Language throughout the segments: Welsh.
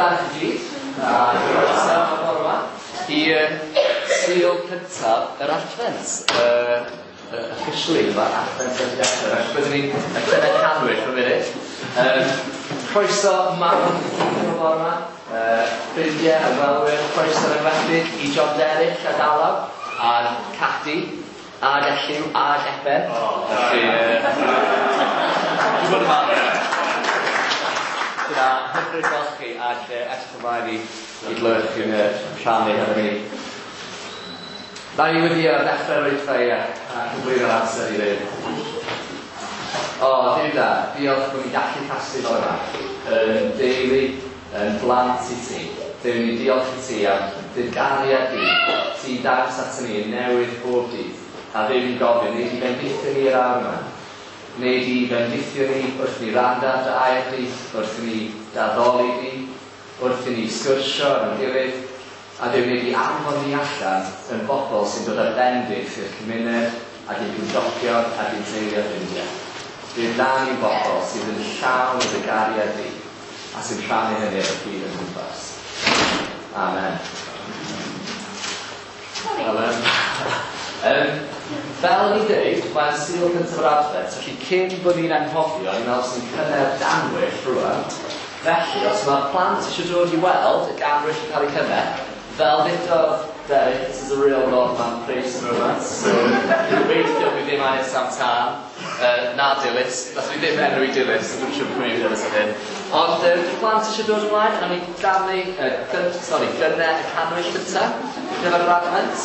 da i chi gyd, a croeso am y bore yma i Sul cyntaf yr Advent. Officially, mae'r Advent wedi dechrau, felly byddwn ni'n cynnau cannwyll am funud. Croeso mawr i chi gyd am y bore yma, ffrindiau, ymwelwyr, croeso yn enwedig i John Derrick a Dalaw, a Cadi, ag Elliw, ag Eben. Felly, dwi'n bod yn falch. Dyna hyfryd gweld chi ac edrych ymlaen i glywed chi'n rhannu hefo ni. Na i wedi ar ddechrau'r oedfa i a cyflwyno'r amser i fynd. O, Duw da, diolch bod ni'n gallu casglu fel yma, yn deulu, yn blant i ti. Duw, ni'n diolch i ti am dy gariad di, ti'n dangos ato ni yn newydd bob dydd. A Duw, ni'n gofyn, wnei di fendithio ni yr awr yma. Wnei di fendithio ni wrth ni wrando ar dy air di, wrth i ni d'addoli di, wrth i ni sgwrsio efo'n gilydd, a Duw, wnei di anfon ni allan yn bobl sy'n dod â bendith i'r cymuned ac i'n cymdogion ac i'n teulu a ffrindiau. Duw, wna ni'n bobl sydd yn llawn o dy gariad di a sy'n rhannu hynny efo'r byd o'n cwmpas. Amen. Wel, fel o'n i'n dweud, mae'n Sul cyntaf yr Adfent, felly cyn bod ni'n anghofio, ni'n meddwl sy'n cynnar danwyll rwan. Felly, os mae'r plant eisiau dod i weld y ganwyll yn cael ei cynnau, fel ddudodd Derek, this is a real Norman Price moment, so gobeithio bydd ddim angen Sam Tân, na Dilys, nath ni ddim enwi Dilys, so dwi'n siŵr pwy yw Dilys fan hyn. Ond dy'r plant eisiau dod ymlaen, a ni danu, sorry, gynnau y cannwyll gyntaf, gyda'r yr Advent.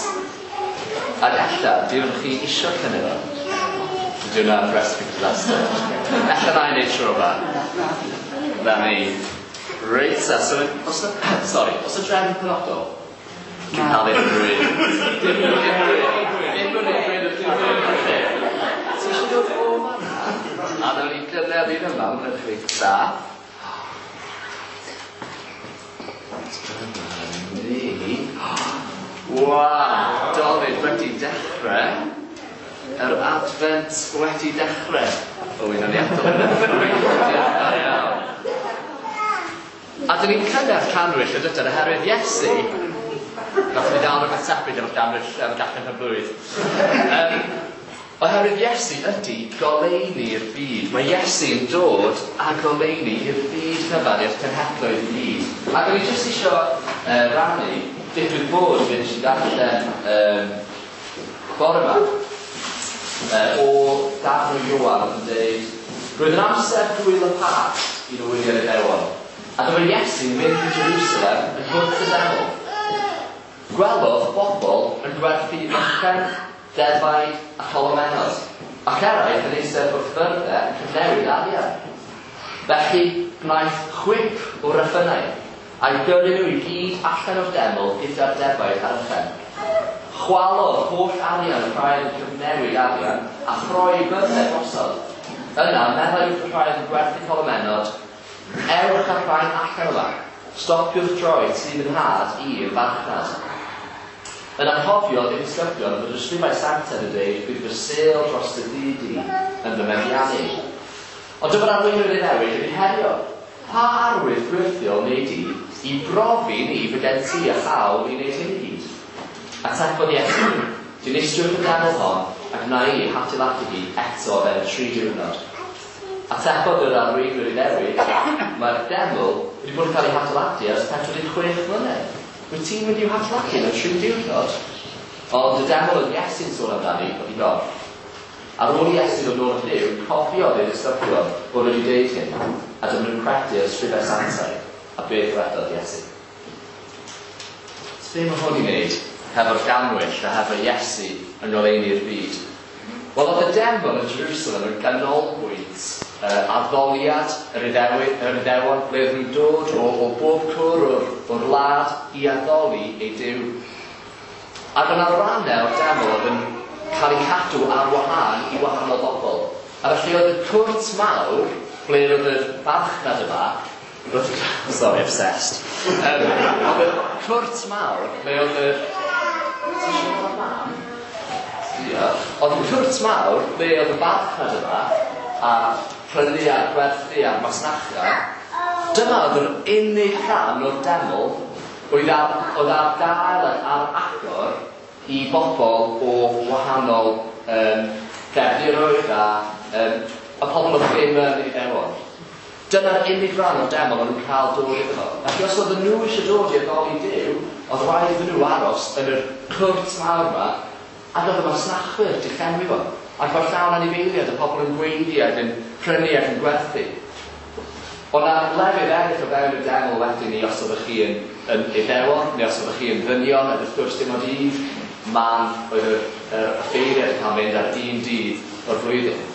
Ac ella, di ydych chi isio cynnu fo? Ydy hwnna'n recipe for disaster? Ella na i wneud tro yma. Na ni. Reit, ta, so, os na, sorry, os y drefn penodol? Dwi'n cael ei drwy. Dim dim dim Ti eisiau dod o fanna? A nawn ni gynnar un yma, mae'n edrych reit dda. Dyma ni. Waw, Dolig wedi dechrau. Yr Advent wedi dechrau. O, un aniadol. Da iawn. A dyn ni'n cynnar cannwyll yn dydyn, oherwydd Iesu, nath ni ddal rhywbeth tebyg efo'r ganwyll, efo gacen pen blwydd. Oherwydd Iesu ydy goleuni'r byd. Mae Iesu'n dod â goleuni i'r byd cyfan, i'r cenhedloedd i gyd. Ac o'n i jyst isio rannu, digwydd bod fe nes i ddarllen bore yma, o darn o Ioan oedd yn dweud, Roedd yn amser gwyl y Pasg, un o wyliau'r Iddewon, a dyma Iesu'n mynd i Jerusalem yn gwrth y deml. Gwelodd bobl yn gwerthu ychen, defaid a cholomennod, ac eraill yn eistedd wrth fyrddau yn cyfnewid arian. Felly gwnaeth chwip o reffynau, a'u gyrru nhw i gyd allan o'r deml gyda'r defaid a'r ychen. Chwalodd holl arian y rhai oedd yn cyfnewid arian, a throi eu byrddau drosodd. Yna, meddai wrth y rhai oedd yn gwerthu colomennod, Ewch â'r rhain allan yma. Stopiwch droi tŷ fy nhad i'r farchnad. Yna cofiodd ei ddisgyblion fod yr ysgrifau sanctaidd yn dweud, Bydd fy sêl dros dy dŷ di yn fy meddiannu. Ond dyma'r arweinwyr Iddewig yn ei herio. Pa arwydd gwyrthiol wnei di i brofi ni fod gen ti y hawl i wneud hyn i gyd? Atebodd Iesu, Dinistriwch y deml hon, ac wna i ei hadeiladu hi eto o fewn tri diwrnod. Atebodd yr arweinwyr Iddewig, Mae'r deml wedi bod yn cael ei hadeiladu ers 46 mlynedd. Wyt ti'n mynd i'w hadeiladu mewn tri diwrnod? Ond y deml oedd Iesu'n sôn amdani oedd ei gorff. Ar ôl i Iesu ddod nôl at Dduw, cofiodd ei ddisgyblion bod wedi deud hyn, a dyma nhw'n credu'r ysgrifau sanctaidd a beth ddywedodd Iesu. So be mae hwn i wneud hefo'r gannwyll a hefo Iesu yng ngoleuni'r byd? Wel, oedd y deml yn Jerusalem yn ganolbwynt addoliad yr Iddewi, yr Iddewon, ble oedden nhw'n dod o, o bob cwr o'r, o'r wlad i addoli eu Duw. Ac o'na rannau o'r deml oedd yn cael eu cadw ar wahân i wahanol bobl. A felly oedd y cwrt mawr, ble oedd yr farchnad yma, Sorry, obsessed. Oedd y cwrt mawr, ble oedd y... Ti eisiau cael mam? Diolch. Oedd y cwrt mawr, ble oedd y farchnad yma, a prynu a gwerthu a'r masnacha, Dyma oedd yr unig rhan o'r deml oedd ar gael ac ar agor i bobl o wahanol gefndiroedd a y pobl oedd ddim yn Iddewon. Dyna'r unig ran o'r deml o'n nhw'n cael dod iddo fo. Felly os oedden nhw eisiau dod i addoli Duw, oedd rhaid iddyn nhw aros yn yr cwrt mawr yma, ac oedd y masnachwyr 'di llenwi fo. Ac mae'r llawn anifeiliaid, y pobl yn gweiddi ac yn prynu ac yn gwerthu. Oedd 'na lefydd eraill o fewn y deml wedyn ni os oeddech chi yn Iddewon, neu os oeddech chi yn ddynion, ac wrth gwrs dim ond un man oedd yr offeiriad yn cael mynd ar un dydd o'r flwyddyn.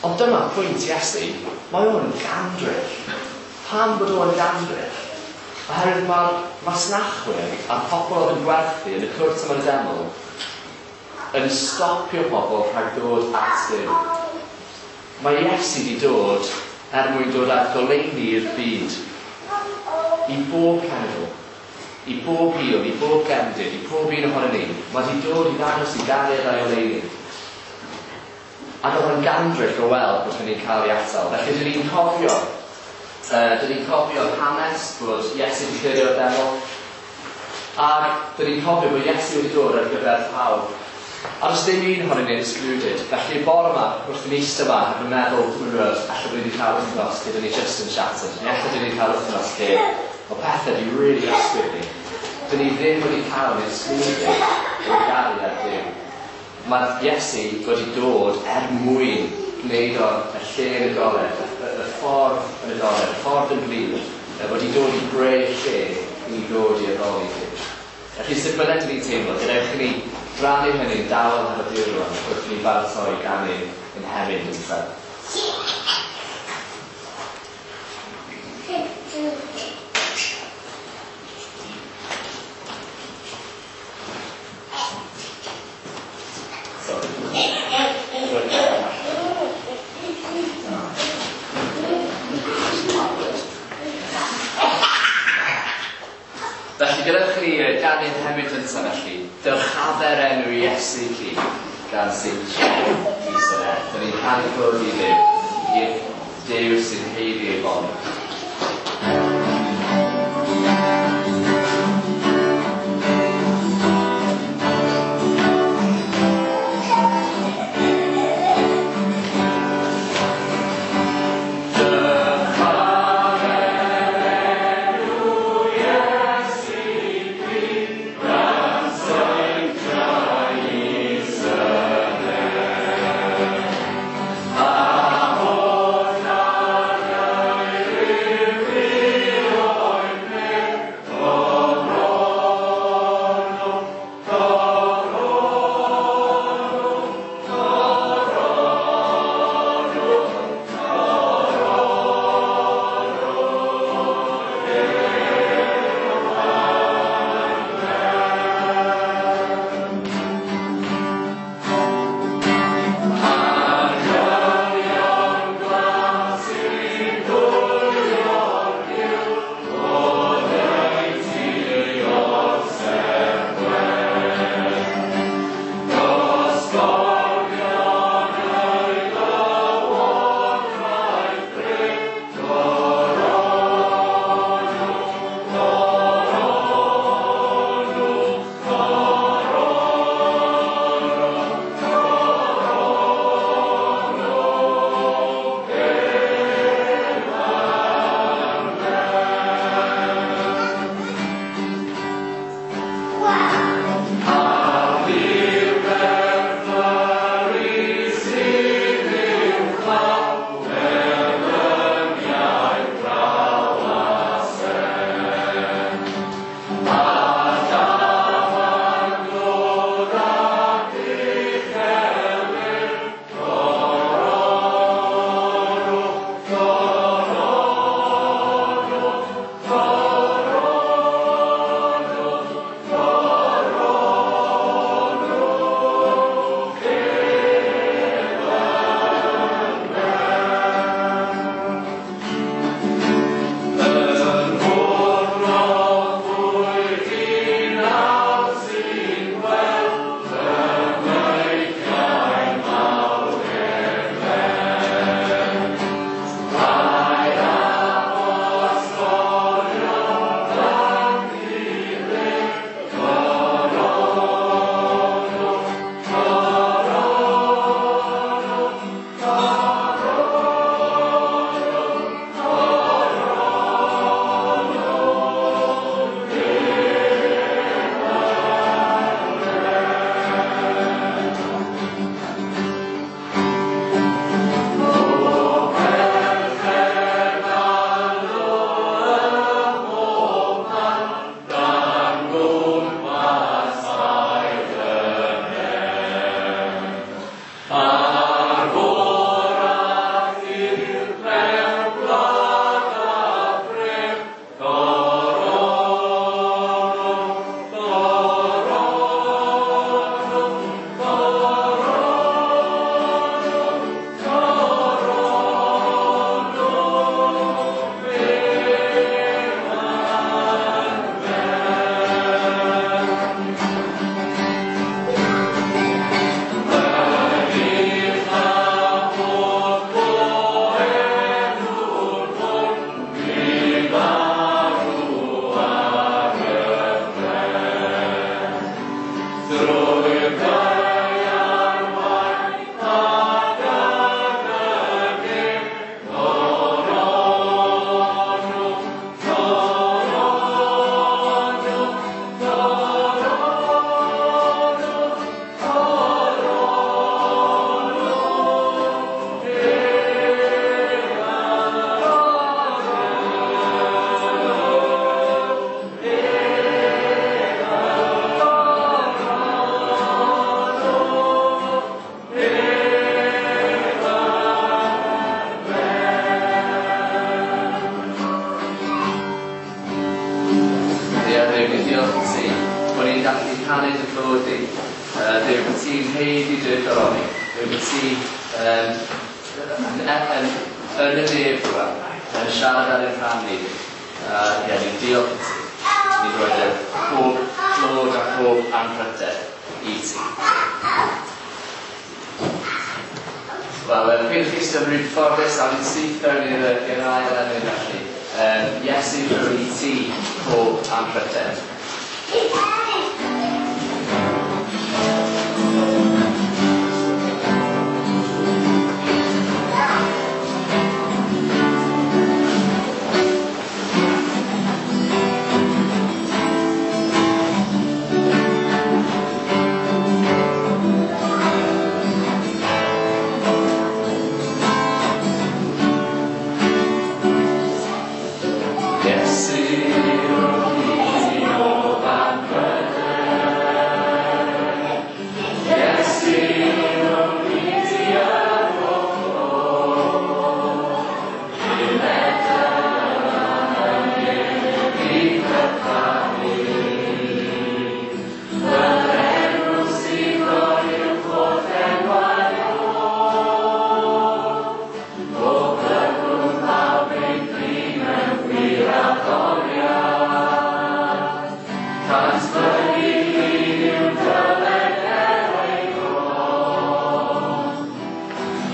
Ond dyma pwynt Iesu, mae o'n gandryll. Pam bod o'n gandryll? Oherwydd mae'r masnachwyr a'r pobl oedd yn gwerthu yn y cwrt yma'n y deml yn stopio pobl rhag dod at Dduw. Mae Iesu wedi dod er mwyn dod â goleuni i'r byd. I bob cenedl, i bob hil, i bob gefndir, i pob un ohono ni. Mae wedi dod i ddangos i gariad a'i oleuni. Ac oedd o'n gandryll o weld bod hynny'n cael ei atal. Felly dyn ni'n cofio hanes bod Iesu wedi clirio'r deml. Ac dyn ni'n cofio bod Iesu wedi dod ar gyfer pawb. A does dim un ohonyn ni'n excluded. Felly bore yma, wrth i ni eistedd yma, ac yn meddwl, dwi'n gwybod, alla bod ni wedi cael wythnos lle dyn ni just yn shattered. Neu alla dyn ni wedi cael wythnos lle o pethau di really ysgwyd ni. Dyn ni ddim wedi cael yn excluded o'r gariad Duw. Mae Iesu wedi dod er mwyn gwneud o'r y lle yn agored, y ffordd yn agored, y ffordd yn glir, wedi dod i greu lle i ni ddod i addoli Duw. Felly sut bynnag dyn ni'n teimlo, gadewch i ni rannu hynny'n dawel hefo Duw rwan, wrth i ni baratoi ganu ein hemyn gyntaf. Felly gadewch i ni ganu'n hemyn gyntaf felly, dyrchafer enw Iesu cu gan Seintiau Is-yr-eth. Dyn ni'n canu clod i Dduw, i'r Duw sy'n haeddu ei fod. canu dy clod di. Duw, bod ti'n haeddu dy goroni. Duw, bod ti yn y nef rwan, yn siarad ar ein rhan ni. Ie, ni'n diolch i ti. Ni'n rhoi dy pob clod a pob anrhydedd i ti. Wel, peidiwch chi eistedd yn rhy gyfforddus, awn ni'n syth fewn i'r ail emyn felly. Iesu rhoi i ti pob anrhydedd. Iesu, rhoi i pob anrhydedd. Iesu, rhoi i ti y pob clod. Yr enw sydd o'r uwch holl enwau oll. O byddwn pawb ei dri mewn gwir addoliad. Cant fyny glin yw dyled er ei bron.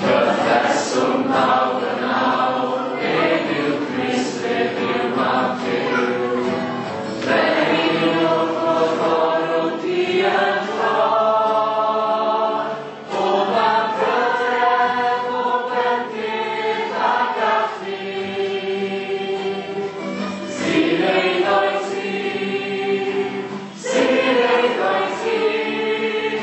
Cyffeswn pawb yn awr, ef yw Crist, ef yw Mab Duw. Brenin yw'r holl orw diymdroi. Pob anrhydedd, pob bendith ac allu. Sy'n eiddo i ti, sy'n eiddo i ti,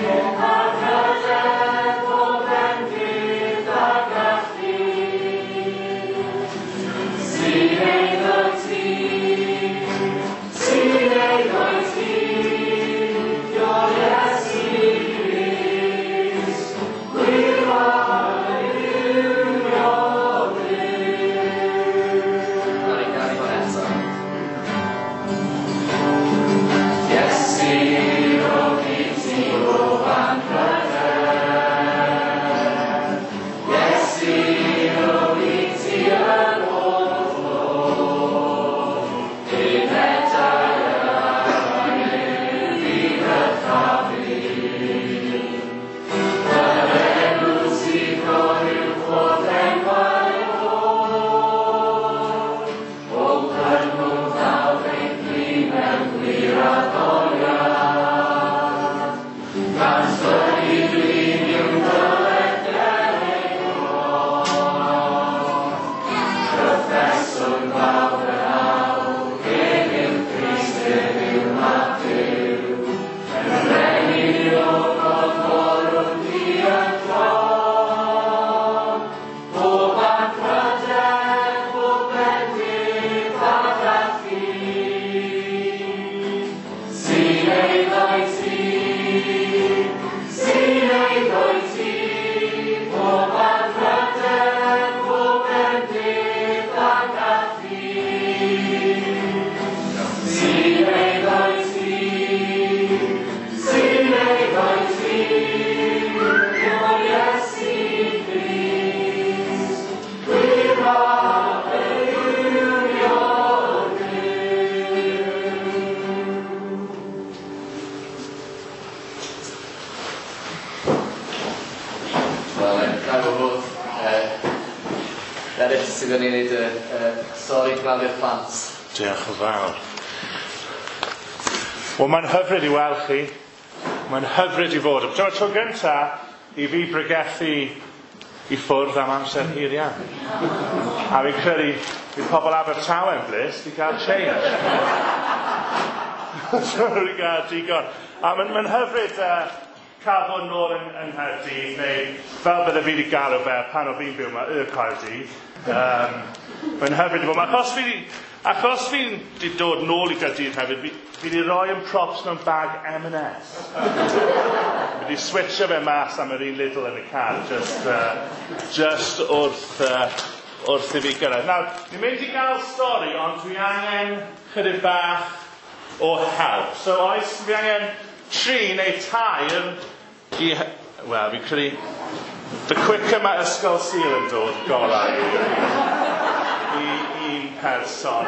pob anrhydedd, pob bendith ac allu. Sy'n eiddo i ti, sy'n eiddo i ti, Io Iesu Grist, gwir Duw. Nawn ni ganu hwn eto. Iesu, rhoi i ti bob anrhydedd. Iesu, rhoi i ti y pob clod. Unedau yr i ddyrchafu. Yr enw sydd o'r uwch holl enwau oll. O cyrnwn pawb ei dri mewn gwir addoliad. Cant fyny glin yw dyled ger ei bron. Cyffeswn pawb yn awr, ef yw Crist, ef yw Mab Duw. Brenin yw'r holl orw diymdroi. Pob anrhydedd, pob bendith ac allu. Sy'n eiddo i ti, sy'n eiddo i ti, pob anrhydedd, pob bendith ac allu. Sy'n eiddo i ti, sy'n eiddo i ti, O Iesu Grist, gwir Mab Duw. Wel, gael fod eraill sydd yn ei wneud y stori gladdu'r plant. Diolch yn fawr. Wel, mae'n hyfryd i weld chi. Mae'n hyfryd i fod. Dyma'r tro gyntaf i fi bregethu i ffwrdd am amser hir iawn. A fi'n credu bydd pobl Abertawe'n blys i gael change. So, i gael digon. A mae'n hyfryd cael bod nôl yng Nghaerdydd, neu fel bydde fi wedi galw fe pan o fi'n byw yma, y Caerdydd. Mae'n hyfryd i fod yma. Achos fi'n di dod nôl i Gaerdydd hefyd, fi wedi rhoi yn props mewn bag M&S. Fi wedi switcho fe mas am yr un Lidl yn y car, just wrth i fi gyrraedd. Nawr, ni'n mynd i gael stori, ond dwi angen chydig bach o help. So oes, fi angen 3 neu 4 i... Wel, fi'n credu... The quicker mae Ysgol Sul yn dod, gorau i un person.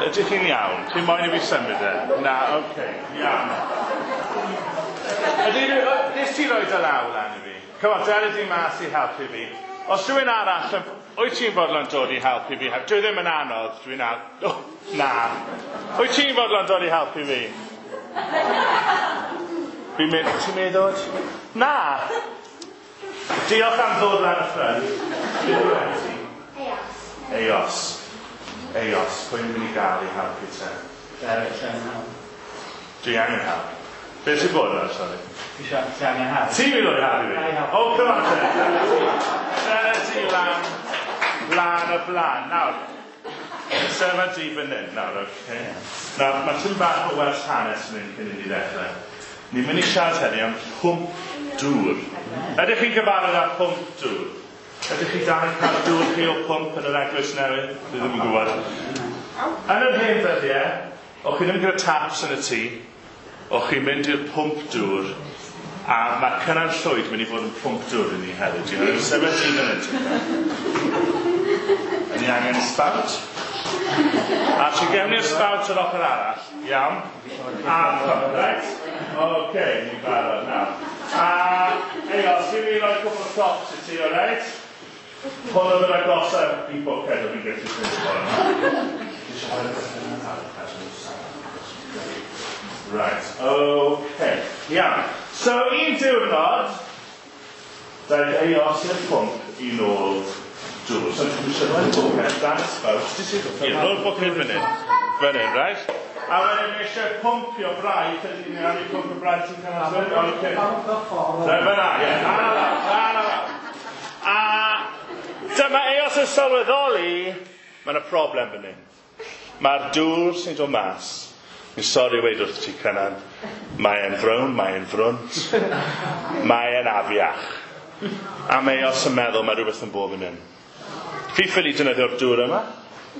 Ydych chi'n iawn? Chi'n moyn i fi symud e? Na, oce, iawn. Nes ti roi dy law lan i fi? Come on, dere di mas i helpu fi. Os rhywun arall, wyt ti'n fodlon dod i helpu fi? Dwi ddim yn anodd, dwi'n oh, na. Wyt ti'n fodlon dod i helpu fi? Fi'n mynd, ti'n meddwl? Na! Diolch am ddod lan y ffrynt. Eos. Eos. Eos. Pwy yn mynd i gael i helpu te? Derek, ti angen help. Dwi angen help. Beth sy'n bod yna, sori? Ti angen help. Ti'n mynd o'i helpu fi? O, come on, te. Dere ti lan, lan y blaen. Nawr, sefa di fan hyn, nawr, oce. Nawr, mae tipyn bach o wers hanes yn hyn cyn i ni ddechrau. Ni'n mynd i siarad heddi am pwmp dŵr. Ydych chi'n gyfarwydd â pwmp dŵr? Ydych chi dal yn cael dŵr chi o pwmp yn yr eglwys newydd? Dwi ddim yn gwybod. Yn yr hen ddyddiau, o'ch chi ddim gyda taps yn y tŷ, o'ch chi'n mynd i'r pwmp dŵr, a mae Cynan Llwyd mynd i fod yn pwmp dŵr i ni hefyd. Ti'n sefyll ti fan hyn. Ni angen spout. A ti gewn ni'r spout yr ochr arall. Iawn. A pump, right? Oce, ni'n barod nawr. A, Eos, fi'n mynd i roi cwpl o props i ti, alright? Hwn oedd yr agosaf i bwced o fi'n gallu ffeindio bore yma. Right, oce. Iawn. So, un diwrnod, daeth Eos i'r pwmp i nôl dŵr. So, ti'n eisiau rhoi bwced dan y spout. Ie, rhoi'r bwced fan hyn. Fan hyn, right? A wedyn ni eisiau pwmpio braidd, ydy ni'n angen pwmpio braidd ti'n cael ysbryd? Oce. Rhaid fyna, ie. Na, na, na, na. A dyma Eos yn sylweddoli, mae yna problem fan hyn. Mae'r dŵr sy'n dod mas. Mi'n sori weud wrth ti, Cynan. Mae e'n frown, mae e'n frwnt, mae e'n afiach. A mae Eos yn meddwl mae rhywbeth yn bod fan hyn. Fi ffili defnyddio'r dŵr yma.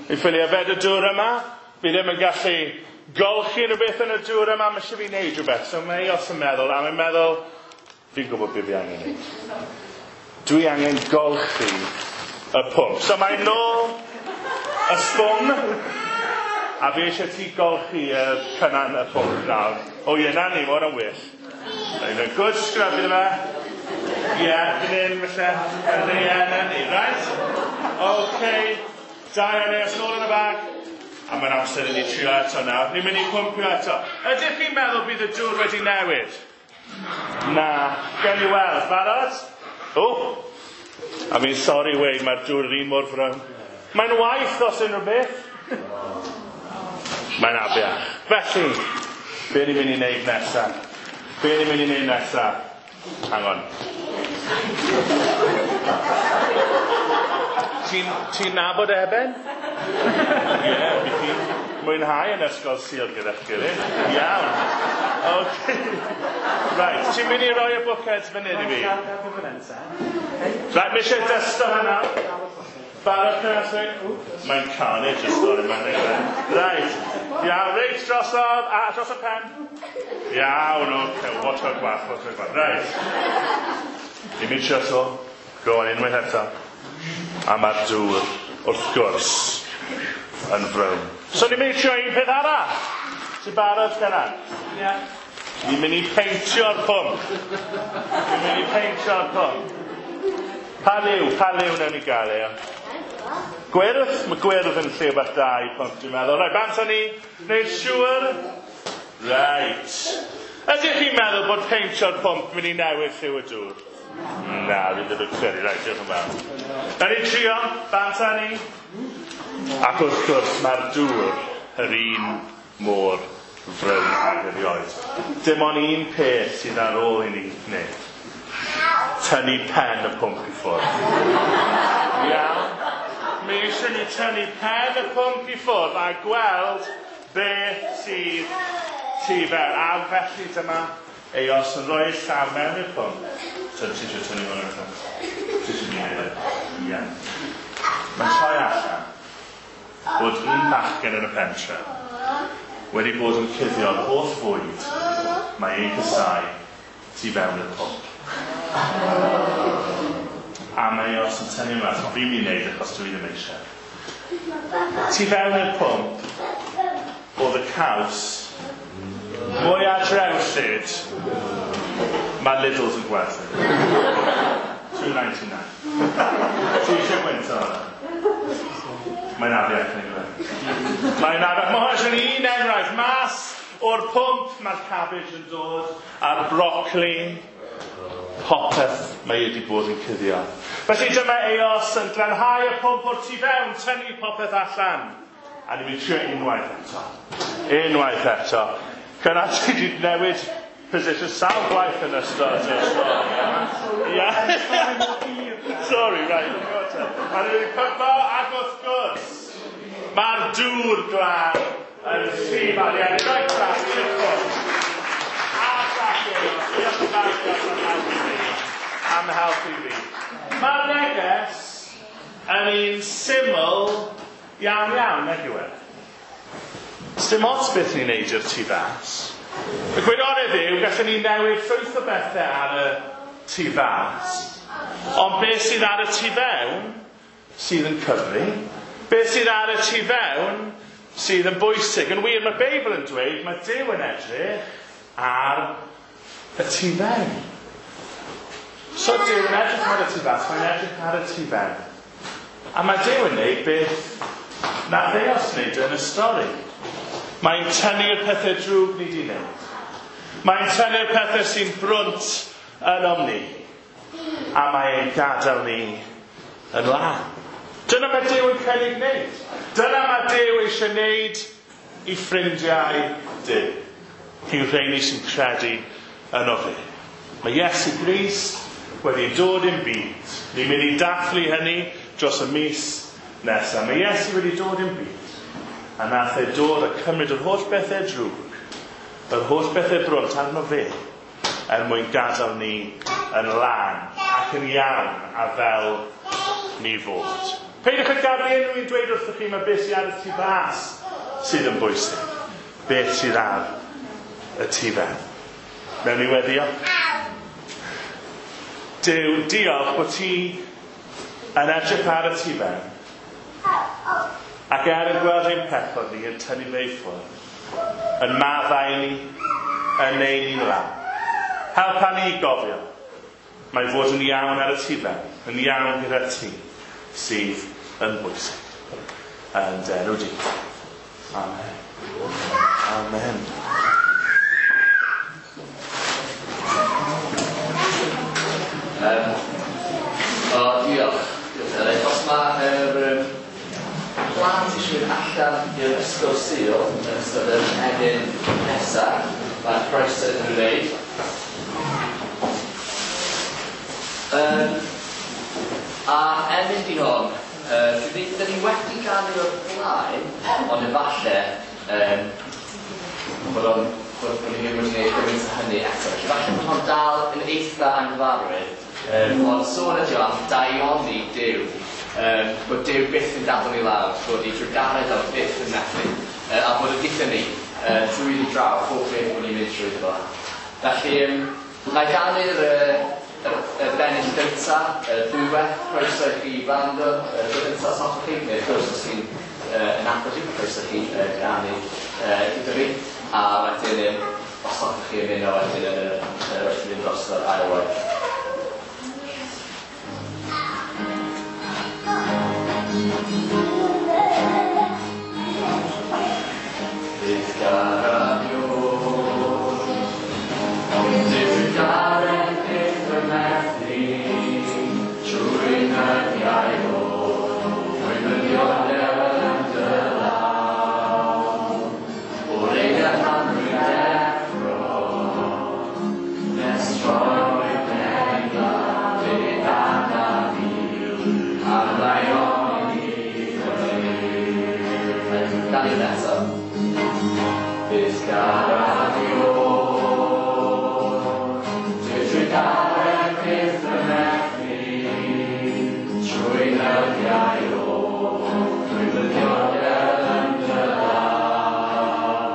Fi ffili yfed y dŵr yma. Fi ddim yn gallu golchi rhywbeth yn y dŵr yma, mae eisiau fi wneud rhywbeth. So mae Eos yn meddwl, a mae'n meddwl, fi'n gwybod beth fi angen wneud. Dwi angen golchi y pwmp. So mae'n nôl y sbwng, a fi eisiau ti golchi y Cynan y pwmp nawr. O ie, na ni, mae hwnna'n well. Mae'n good scrub iddo fe. Ie, fan hyn, falle. Ie, na ni, right? OK, da iawn, Eos, nôl yn y bag. A mae'n amser i ni trio eto nawr. Ni'n mynd i pwmpio eto. Ydych chi'n meddwl bydd y dŵr wedi newid? Na. Gewn ni weld. Barod? O! A fi'n sori weud, mae'r dŵr yr un mor frown. Mae'n waith os unrhyw beth. Mae'n afiach. Felly, be ni'n mynd i wneud nesa? Be ni'n mynd i wneud nesa? Hang on. Ti'n nabod Eben? Ie, fi chi'n mwynhau yn Ysgol Sul gyda'ch gilydd. Iawn. OK. Right, ti'n mynd i roi y bwced fan hyn i fi? Right, mae eisiau dysto hynna. Barod Cynan? Mae'n carnage y stori yma. Right. Iawn, reit drosodd, a dros y pen. Iawn, oce, watch out gwach, watch out gwach. Right. Ni'n mynd trio to. Go on, unwaith eto. A mae'r dŵr, wrth gwrs, yn frown. So ni'n mynd i trio un peth arall. Ti'n barod, Cynan? Ie. Ni'n mynd i peintio'r pwmp. Ni'n mynd i peintio'r pwmp. Pa liw newn ni gael e? Gwyrdd? Mae gwyrdd yn lliw bach da i pwmp, dwi'n meddwl. Right, bant â ni. Wneud siŵr. Right. Ydych chi'n meddwl bod peintio'r pwmp mynd i newid lliw y dŵr? Na, fi ddim yn credu. Right, diolch yn fawr. Na ni trio, bant â ni. Ac wrth gwrs, mae'r dŵr yr un mor frown ag erioed. Dim ond un peth sydd ar ôl i ni wneud. Tynnu pen y pwmp i ffwrdd. Iawn. Mae eisiau ni tynnu pen y pwmp i ffwrdd a gweld beth sydd tu fewn. A felly dyma Eos yn rhoi llaw mewn i'r pwmp. So ti eisiau tynnu hwn allan? Ti eisiau ni wneud e? Ie. Mae'n troi allan bod un bachgen yn y pentre wedi bod yn cuddio'r holl fwyd mae ei casau tu fewn y pwmp. A mae Eos yn tynnu mas, ond fi'n mynd i wneud achos dwi ddim eisiau. Tu fewn i'r pwmp oedd y caws mwy drewllyd mae Lidl's yn gwerthu. 2.99. Ti eisiau gwynt o hwnna? Mae'n afiach neu fe. Mae'n afiach. Mae hwnna'n un enghraifft. Mas o'r pwmp mae'r cabbage yn dod, a'r brocoli, popeth mae wedi bod yn cuddio. Felly dyma Eos yn glanhau y pwmp o'r tu fewn, tynnu popeth allan. A ni'n mynd trio unwaith eto. Unwaith eto. Cynna ti wedi newid position sawl gwaith yn ystod y stori. Ia. Sorry, right. A ni'n mynd pympo, ac wrth gwrs, mae'r dŵr glân yn llif ar iawn. Rhaid glân i'r pwmp. A diolch Eos. Diolch yn fawr Eos am helpu fi. Am helpu fi. Mae'r neges yn un syml iawn iawn, nag yw e? Sdim ots beth ni'n neud i'r tu fas. Y gwirionedd yw, gallwn ni newid llwyth o bethau ar y tu fas. Ond beth sydd ar y tu fewn sydd yn cyfri, beth sydd ar y tu fewn sydd yn bwysig. Yn wir, mae'r Beibl yn dweud, mae Duw yn edrych ar y tu fewn. So Duw yn edrych ar y tu fas, mae'n edrych ar y tu fewn. A mae Duw yn neud beth nath Eos wneud yn y stori. Mae'n tynnu'r pethau drwg ni di wneud. Mae'n tynnu'r pethau sy'n brwnt ynom ni. A mae'n gadael ni yn lân. Dyna mae Duw yn cynnig wneud. Dyna mae Duw eisiau wneud i ffrindiau Duw. I'w rheini sy'n credu yno fe. Mae Iesu Grist wedi dod i'n byd. Ni'n mynd i dathlu hynny dros y mis nesaf. Mae Iesu wedi dod i'n byd. A nath e dod a cymryd yr holl bethau drwg, yr holl bethau brwnt arno fe, er mwyn gadael ni yn lân ac yn iawn a fel ni fod. Peidiwch â gadael i unrhyw un dweud wrthych chi mae beth sydd ar y tu fas sydd yn bwysig. Beth sydd ar y tu fewn. Mewn i weddio. Duw, diolch bod ti yn edrych ar y tu fewn. Ac er yn gweld ein pechod ni yn tynnu fe i ffwrdd, yn maddau ni, yn neud ni'n lân. Helpa ni i gofio, mae fod yn iawn ar y tu fewn, yn iawn gyda ti, sydd yn bwysig. Yn dy enw di. Amen. Amen. O, diolch. Diolch, Elin. Os mae'r plant eisiau mynd allan i'r ysgol Sul yn ystod yr emyn nesaf, mae'r croeso iddyn nhw wneud. A emyn di hon, dyn ni wedi ganu o'r blaen, ond efallai bod ni ddim wedi gwneud gymaint o hynny eto. Felly falle bod hon dal yn eitha anghyfarwydd, ond sôn ydi o am daioni Duw. Bod Duw byth yn gadael ni lawr, bod ei drugaredd o byth yn methu, a bod y gyda ni drwyddi draw pob beth bod ni'n mynd drwyddo fo. Felly, na i ganu'r y bennill gynta, ddwywaith, croeso i chi wrando, y gynta os hoffech chi, neu wrth gwrs os chi'n yn agos i, croeso i chi ganu gyda fi, a wedyn os hoffech chi ymuno wedyn yn y wrth i fynd dros yr ail waith. Bydd garaddio, bydd garedd byth yn methu, trwy nyddiau o, trwy fyddiodau yn dy law. O'r eiliad pan rwy'n deffro, nes troi pen i lawr, bydd arnaf fi, ar ddaioni i fyny. Gan i eto. Bydd garaddio, trwy garedd byth yn methu, trwy nyddiau o, trwy fyddiodau yn dy law.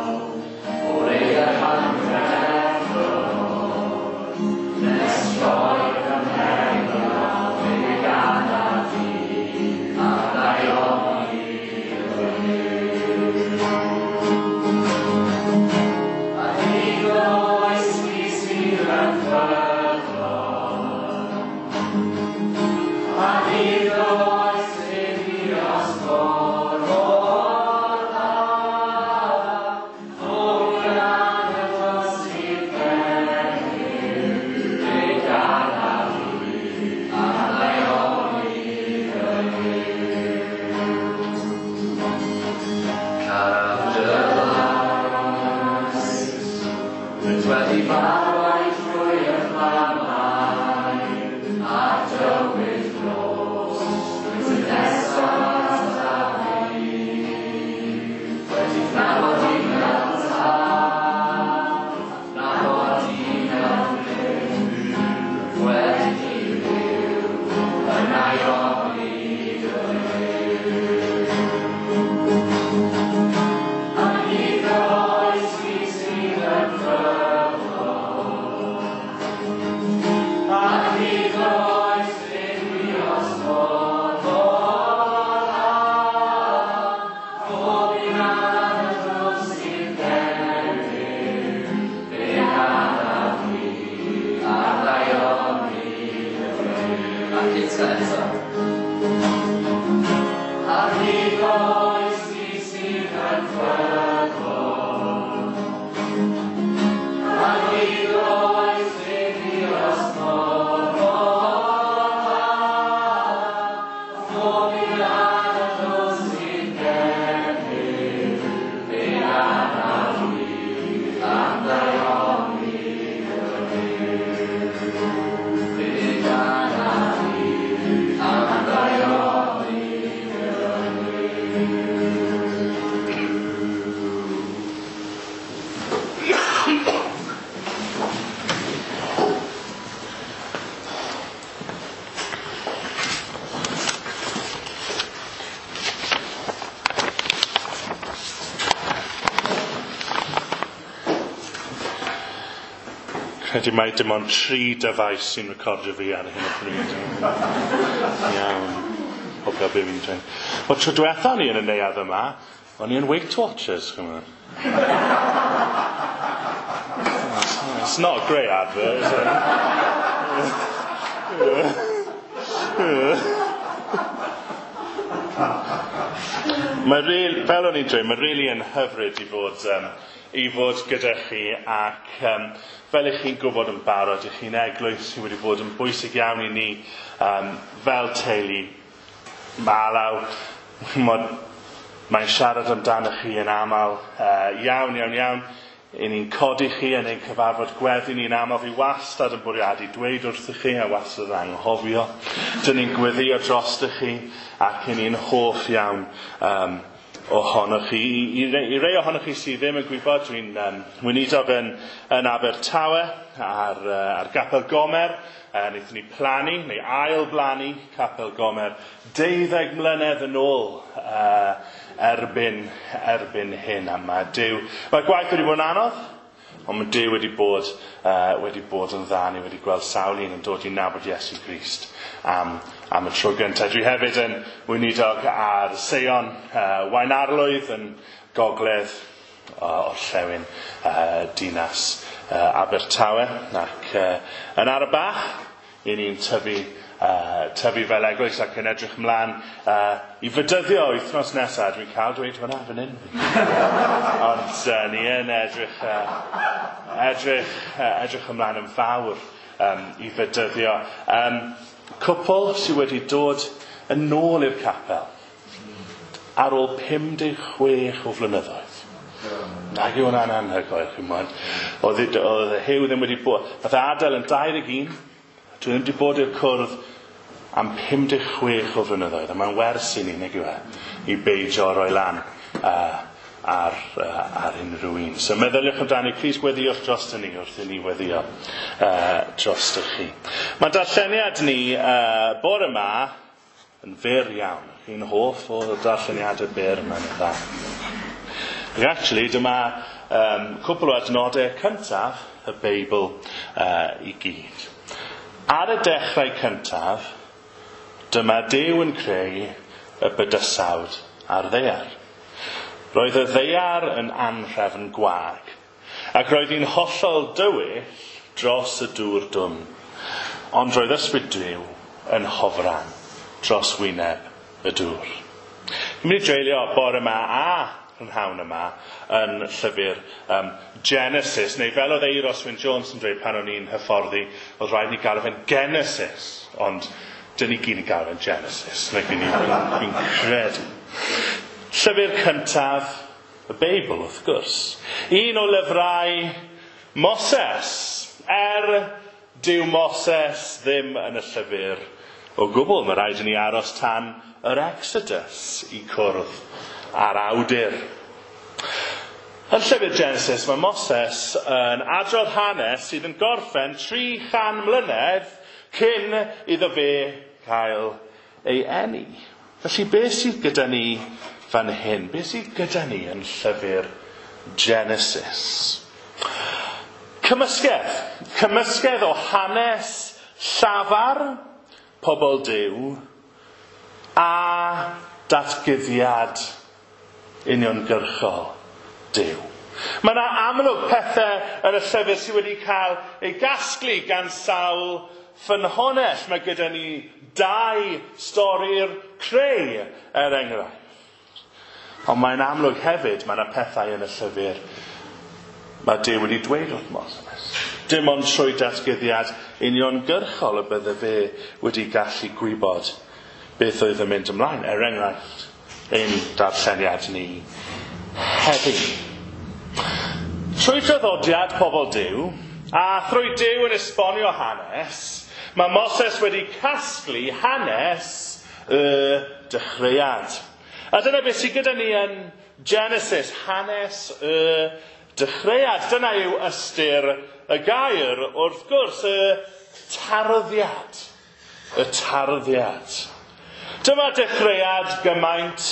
Credu mai dim ond 3 dyfais sy'n recordio fi ar hyn o bryd. Iawn. Hopio be fi'n dweud. Wel, tro diwetha ni yn y neuadd yma, o'n i yn Weight Watchers, chymod. It's not a great advert, is it? Mae really, fel o'n i'n dweud, mae really yn hyfryd i fod gyda chi ac fel ych chi'n gwybod yn barod, ych chi'n eglwys sydd wedi bod yn bwysig iawn i ni fel teulu. Mae Alaw, mae'n siarad amdano chi yn aml iawn, iawn, iawn. I ni'n codi chi yn ein cyfarfod gweddi ni'n aml. Fi wastad yn bwriadu dweud wrthych chi a wastad yn anghofio. Dyn ni'n gweddio drostoch chi ac i ni'n hoff iawn ohonoch chi. I rei ohonoch chi sydd ddim yn gwybod, dwi'n weinidog yn Abertawe ar Gapel Gomer. Wnaethon ni plannu, neu ail-blannu Capel Gomer 12 mlynedd yn ôl erbyn hyn. A mae Duw, mae gwaith wedi bod yn anodd, ond mae Duw wedi bod yn dda. Ni wedi gweld sawl un yn dod i nabod Iesu Grist am y tro gyntaf. Dwi hefyd yn weinidog ar Seion Waunarlwydd yn gogledd orllewin dinas Abertawe, ac yn ara bach i ni'n tyfu fel eglwys ac yn edrych ymlaen i fydyddio wythnos nesaf. Dwi'n cael dweud hwnna fan hyn. Ond ni yn edrych ymlaen yn fawr i fydyddio. Cwpl sydd wedi dod yn ôl i'r capel ar ôl 56 o flynyddoedd. Nag yw hwnna'n anhygoel, chi'mod. Oedd Huw ddim wedi bod... Nath e adael yn 21, dwi ddim wedi bod i'r cwrdd am 56 o flynyddoedd, a mae'n wers i ni, nag yw e, i beidio roi lan ar unrhyw un. So meddyliwch amdani, plis gweddiwch drosto ni wrth i ni weddio drostoch chi. Mae darlleniad ni bore yma yn fyr iawn. Chi'n hoff o darlleniadau byr, mae'n dda. Ac actually, dyma cwpl o adnodau cyntaf y Beibl i gyd. Ar y dechrau cyntaf, dyma Duw yn creu y bydysawd a'r ddaear. Roedd y ddaear yn anhrefn gwag, ac roedd hi'n hollol dywyll dros y dŵr dwfn, ond roedd ysbryd Duw yn hofran dros wyneb y dŵr. Ni'n mynd i dreulio bore yma a prynhawn yma yn llyfr Genesis, neu fel oedd Eiros Wyn Jones yn dweud pan o'n i'n hyfforddi, oedd rhaid ni galw fe'n Genesis, ond dyn ni gyd yn galw fe'n Genesis, neu fi'n credu. Llyfr cyntaf y Beibl, wrth gwrs. Un o lyfrau Moses, dyw Moses ddim yn y llyfr o gwbl. Mae rhaid i ni aros tan yr Exodus i cwrdd â'r awdur. Yn llyfr Genesis, mae Moses yn adrodd hanes sydd yn gorffen 300 mlynedd cyn iddo fe cael ei eni. Felly beth sydd gyda ni fan hyn? Beth sydd gyda ni yn llyfr Genesis? Cymysgedd. Cymysgedd o hanes llafar pobl Duw a datguddiad uniongyrchol Duw. Mae yna amlwg pethau yn y llyfr sydd wedi cael ei gasglu gan sawl ffynhonnell. Mae gyda ni 2 stori'r creu, er enghraifft. Ond mae'n amlwg hefyd, mae yna pethau yn y llyfr mae Duw wedi dweud wrth Moses. Dim ond trwy datguddiad uniongyrchol y bydde fe wedi gallu gwybod beth oedd yn mynd ymlaen, er enghraifft, ein darlleniad ni heddi. Trwy draddodiad pobl Duw, a thrwy Duw yn esbonio hanes, mae Moses wedi casglu hanes y dechreuad. A dyna beth sydd gyda ni yn Genesis, hanes y dechreuad. Dyna yw ystyr y gair, wrth gwrs, y tarddiad. Y tarddiad. Dyma dechreuad gymaint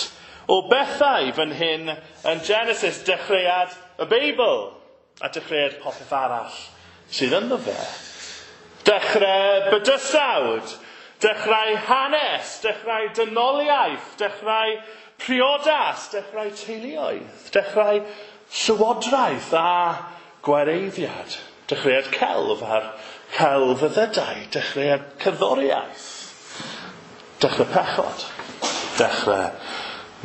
o bethau fan hyn yn Genesis, dechreuad y Beibl a dechreuad popeth arall sydd ynddo fe. Dechrau bydysawd, dechrau hanes, dechrau dynoliaeth, dechrau priodas, dechrau teuluoedd, dechrau llywodraeth a gwareiddiad, dechreuad celf a'r celfyddydau, dechreuad cerddoriaeth, dechrau pechod, dechrau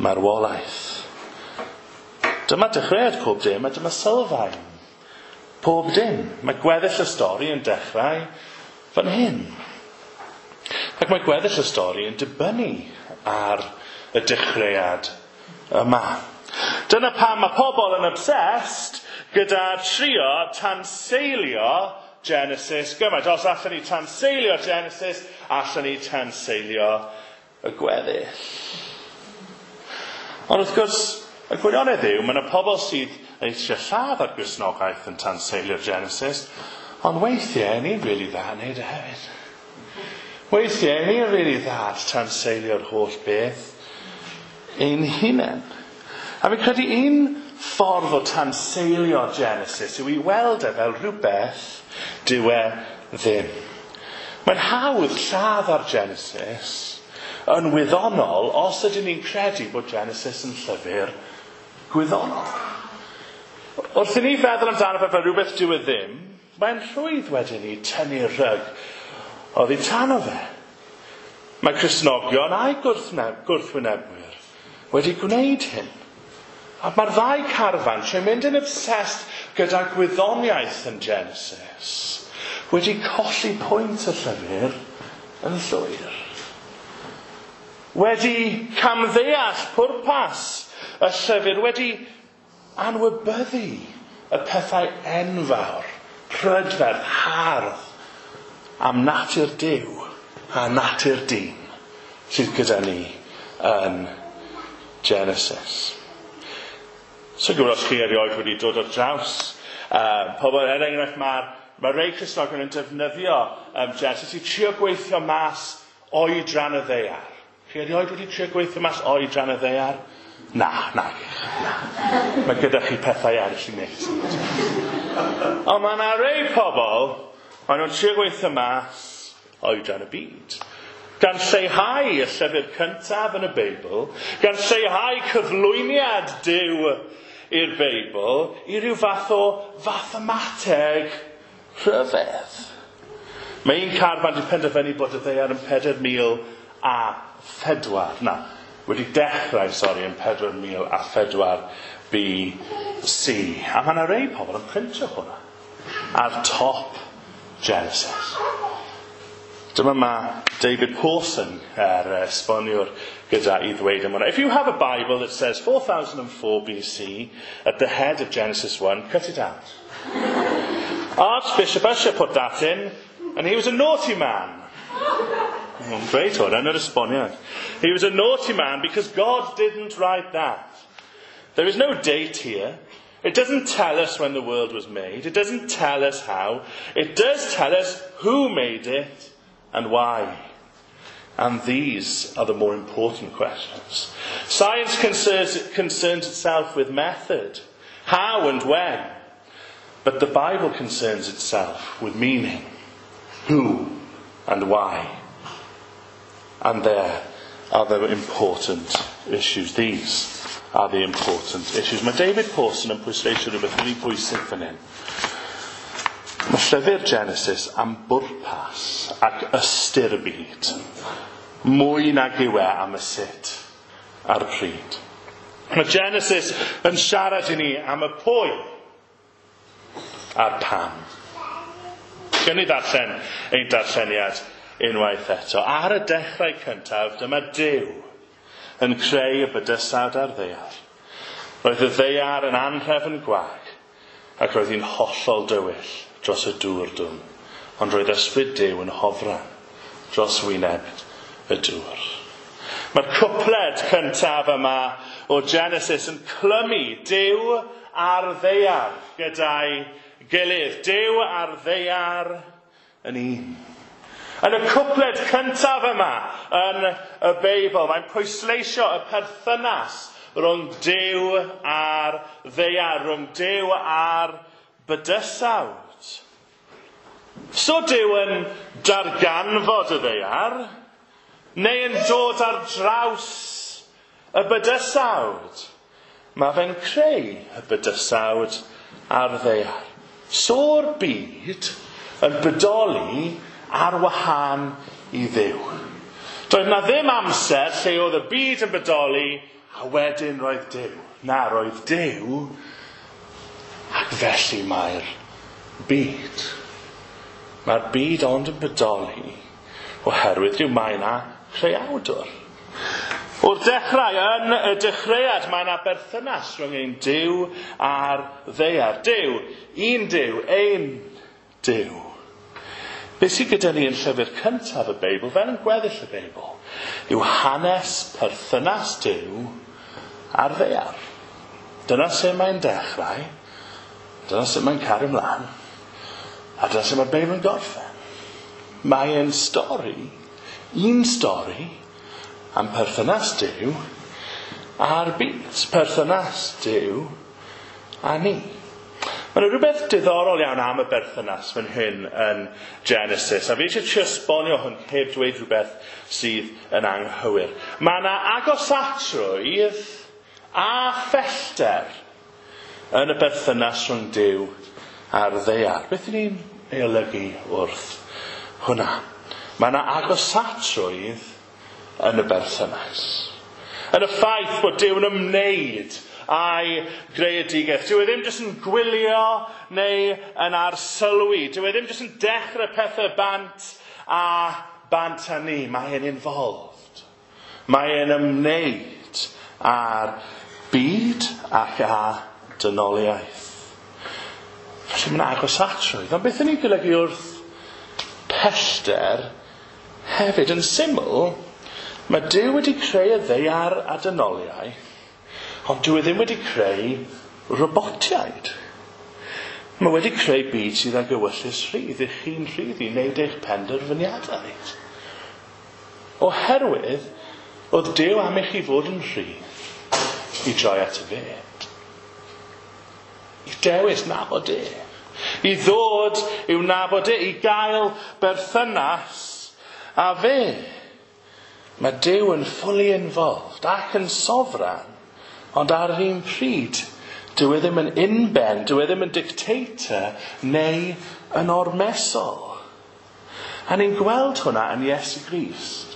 marwolaeth. Dyma dechreuad pob dim a dyma sylfaen pob dim. Mae gweddill y stori yn dechrau fan hyn. Ac mae gweddill y stori yn dibynnu ar y dechreuad yma. Dyna pam mae pobl yn obsessed gyda trio tanseilio Genesis gymaint. Os allan ni tanseilio Genesis, allan ni tanseilio y gweddill. Ond wrth gwrs, y gwirionedd yw, mae yna pobl sydd eisiau lladd ar Gristnogaeth yn tanseilio Genesis, ond weithiau ni'n rili dda yn neud e hefyd. Weithiau ni'n rili dda at tanseilio'r holl beth ein hunain. A fi'n credu un ffordd o tanseilio Genesis yw i weld e fel rhywbeth dyw e ddim. Mae'n hawdd lladd ar Genesis yn wyddonol os ydyn ni'n credu bod Genesis yn llyfr gwyddonol. Wrth i ni feddwl amdano fe fel rhywbeth dyw e ddim, mae'n rhwydd wedyn i tynnu'r rhyg oddi tano fe. Mae Cristnogion a'i gwrthwynebwyr wedi gwneud hyn. A mae'r ddau carfan, trwy mynd yn obsessed gyda gwyddoniaeth yn Genesis, wedi colli pwynt y llyfr yn llwyr. Wedi camddeall pwrpas y llyfr, wedi anwybyddu y pethau enfawr, prydferth, hardd, am natur Duw a natur dyn sydd gyda ni yn Genesis. So gwybod os chi erioed wedi dod ar draws pobl, er enghraifft, mae rhai Cristnogion yn defnyddio Genesis i trio gweithio mas oedran y ddaear. Chi erioed wedi trio gweithio mas oedran y ddaear? Na. Mae gyda chi pethau eraill i wneud. Ond mae yna rhai pobl, maen nhw'n trio gweithio mas oedran y byd. Gan lleihau y llyfr cyntaf yn y Beibl, gan lleihau cyflwyniad Duw i'r Beibl, i ryw fath o fathemateg rhyfedd. Mae un carfan wedi penderfynu bod y ddaear yn 4,000 4004. Na, wedi dechrau, sori, yn 4004 BC. A mae yna rei pobl yn printio hwnna ar top Genesis. Dyma mae David Pawson, yr esboniwr, gyda i ddweud am hwnna. "If you have a Bible that says 4004 BC at the head of Genesis 1, cut it out. Archbishop Ussher put that in, and he was a naughty man." Mae'n dweud hwn yn yr esboniad. "He was a naughty man because God didn't write that. There is no date here. It doesn't tell us when the world was made. It doesn't tell us how. It does tell us who made it and why. And these are the more important questions. Science concerns itself with method, how and when. But the Bible concerns itself with meaning, who and why. And there are the important issues. These are the important issues." Mae David Pawson yn pwysleisio rhywbeth really bwysig fan hyn. Mae llyfr Genesis am bwrpas ac ystyr y byd. Mwy nag yw e am y sut a'r pryd. Mae Genesis yn siarad i ni am y pwy a'r pam. Gawn ni ddarllen ein darlleniad unwaith eto. "Ar y dechrau cyntaf, dyma Duw yn creu y bydysawd a'r ddaear. Roedd y ddaear yn anhrefn gwag, ac roedd hi'n hollol dywyll dros y dŵr dwfn. Ond roedd ysbryd Duw yn hofran dros wyneb y dŵr." Mae'r cwpled cyntaf yma o Genesis yn clymu Duw a'r ddaear gyda'i gilydd. Duw a'r ddaear yn un. Yn y cwpled cyntaf yma yn y Beibl, mae'n pwysleisio y perthynas rhwng Duw a'r ddaear, rhwng Duw a'r bydysawd. So Duw yn darganfod y ddaear, neu yn dod ar draws y bydysawd? Mae fe'n creu y bydysawd a'r ddaear. So'r byd yn bodoli ar wahân i Dduw. Doedd na ddim amser lle oedd y byd yn bodoli a wedyn roedd Duw. Na, roedd Duw ac felly mae'r byd. Mae'r byd ond yn bodoli oherwydd Duw. Mae yna creawdwr. O'r dechrau, yn y dechreuad, mae yna berthynas rhwng ein Duw a'r ddaear. Duw, un Duw, ein Duw. Be sydd gyda ni yn llyfr cyntaf y Beibl, fel yn gweddill y Beibl, yw hanes perthynas Duw a'r ddaear. Dyna sut mae'n dechrau, dyna sut mae'n cario ymlaen, a dyna sut mae'r Beibl yn gorffen. Mae e'n stori, un stori, am perthynas Duw a'r byd. Perthynas Duw a ni. Mae yna rhywbeth diddorol iawn am y berthynas fan hyn yn Genesis. A fi eisiau trio esbonio hwn heb dweud rhywbeth sydd yn anghywir. Mae yna agosatrwydd a phellter yn y berthynas rhwng Duw a'r ddaear. Beth ydyn ni'n ei olygu wrth hwnna? Mae yna agosatrwydd yn y berthynas. Yn y ffaith bod Duw yn ymwneud â'i greadigaeth. Dyw e ddim jyst yn gwylio neu yn arsylwi. Dyw e ddim jyst yn dechrau pethau bant a bant â ni. Mae e'n involved. Mae e'n ymwneud â'r byd ac â dynoliaeth. Felly mae'n agosatrwydd. Ond beth yn ei golygu wrth pellter hefyd? Yn syml, mae Duw wedi creu y ddaear a dynoliaeth, ond dyw e ddim wedi creu robotiaid. Mae wedi creu byd sydd ag ewyllys rhydd, i chi'n rhydd i wneud eich penderfyniadau. Oherwydd, oedd Duw am i chi fod yn rhydd i droi at y fe. I dewis nabod e. I ddod i'w nabod e, i gael berthynas â fe. Mae Duw yn fully involved ac yn sofran, ond ar yr un pryd, dyw e ddim yn unben, dyw e ddim yn dictator neu yn ormesol. A ni'n gweld hwnna yn Iesu Grist.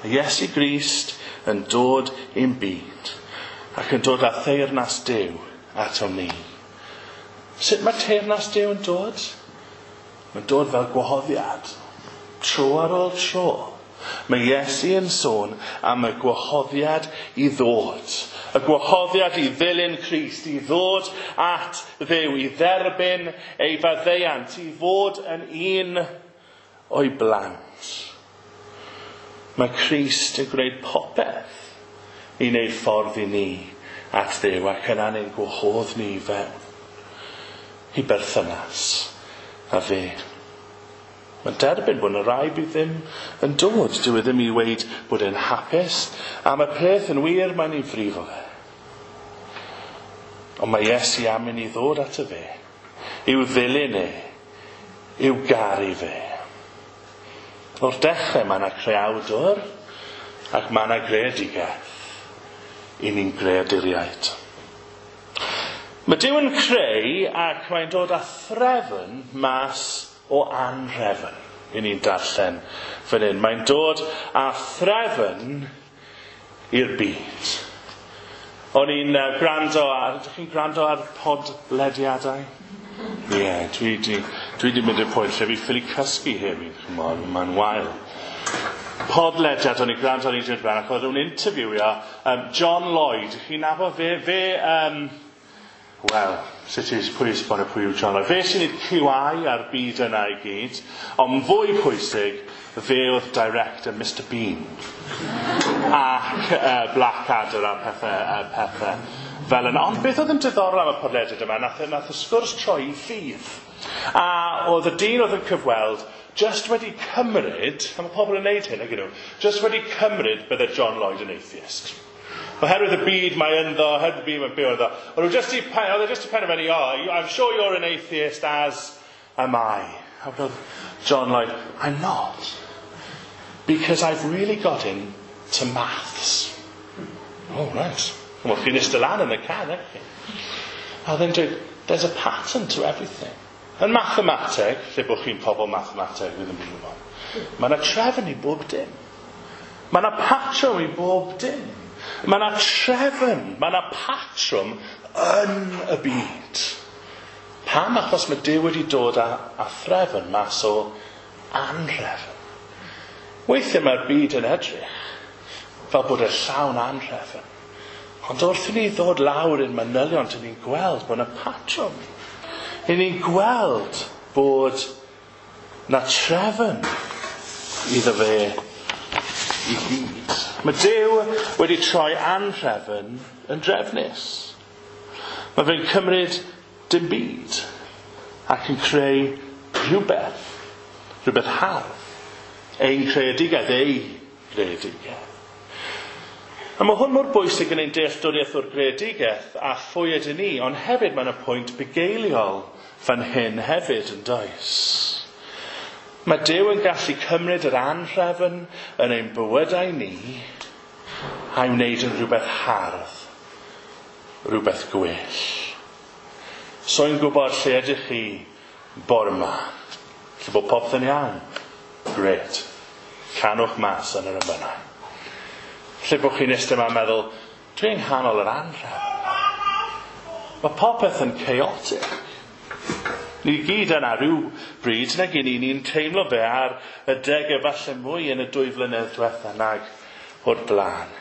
Mae Iesu Grist yn dod i'n byd ac yn dod â theyrnas Duw atom ni. Sut mae teyrnas Duw yn dod? Mae'n dod fel gwahoddiad. Tro ar ôl tro. Mae Iesu yn sôn am y gwahoddiad i ddod. Y gwahoddiad i ddilyn Crist, i ddod at Dduw, i dderbyn ei faddeuant, i fod yn un o'i blant. Mae Crist yn gwneud popeth i wneud ffordd i ni at Dduw ac yna'n ein gwahodd ni i fewn i berthynas a fe. Mae'n derbyn bod yna rai bydd ddim yn dod. Dyw e ddim i weud bod e'n hapus. Am y peth yn wir, mae'n ei frifo fe. Ond mae Iesu am i ni ddod ato fe. I'w ddilyn e. I'w garu fe. O'r dechrau mae yna creawdwr ac mae yna greadigaeth. I ni'n greaduriaid. Mae Duw yn creu ac mae'n dod â threfn mas o anhrefn. I ni'n darllen fan hyn. Mae'n dod â threfn i'r byd. O'n i'n gwrando ar... Ydych chi'n gwrando ar podlediadau? Ie, yeah, dwi di mynd i'r pwynt lle fi ffili cysgu hefyd. Ch'mod, mae'n wael. Podlediad o'n i'n gwrando ar un dweud ac oedd nhw'n interviewio John Lloyd. Chi'n nabod fe, wel, sut i pwy esbonio pwy yw John Lloyd? Fe sy'n neud QI ar byd yna i gyd, ond fwy pwysig, fe oedd director Mr Bean ac Blackadder a pethau fel yna. Ond beth oedd yn diddorol am y podlediad yma, nath y sgwrs troi i ffydd. A oedd y dyn oedd yn cyfweld just wedi cymryd, a mae pobl yn neud hyn, ag nhw, just wedi cymryd bydde John Lloyd yn atheist. Oherwydd y byd mae ynddo, oherwydd y byd mae'n byw ynddo. Oedd e just i penderfynu, oh, I'm sure you're an atheist as am I. A wedodd John Lloyd, I'm not. Because I've really got into maths. Oh, right. Wel, chi'n eistedd lan yn y car, eh? A then dweud, there's a pattern to everything. Yn mathemateg, lle bod chi'n pobl mathemateg, fi ddim yn gwybod, mae yna trefn i bob dim. Mae yna patrwm i bob dim. Mae yna trefn, mae yna patrwm yn y byd. Pam? Achos mae Duw wedi dod â threfn mas o anhrefn. Weithiau mae'r byd yn edrych fel bod e llawn anhrefn. Ond wrth i ni ddod lawr i'n manylion, dyn ni'n gweld bod yna patrwm. I ni'n gweld bod na trefn iddo fe i gyd. Mae Duw wedi troi anhrefn yn drefnus. Mae fe'n cymryd dim byd ac yn creu rhywbeth, rhywbeth hardd. Ein creadigaeth, ei greadigaeth. A mae hwn mor bwysig yn ein dealltwriaeth o'r greadigaeth a phwy ydyn ni, ond hefyd mae yna pwynt bugeiliol fan hyn hefyd yn does. Mae Duw yn gallu cymryd yr anhrefn yn ein bywydau ni a'i wneud yn rhywbeth hardd, rhywbeth gwell. So i'n gwybod lle ydych chi bore yma. Lle bod popeth yn iawn. Great. Canwch mas yn yr emynau. Lle bod chi'n eistedd yma'n meddwl, dwi yng nghanol yr anhrefn. Mae popeth yn chaotic. Ni gyd yna rhyw bryd, nag i ni'n teimlo fe ar y degau falle mwy yn y 2 flynedd diwetha nag o'r blaen.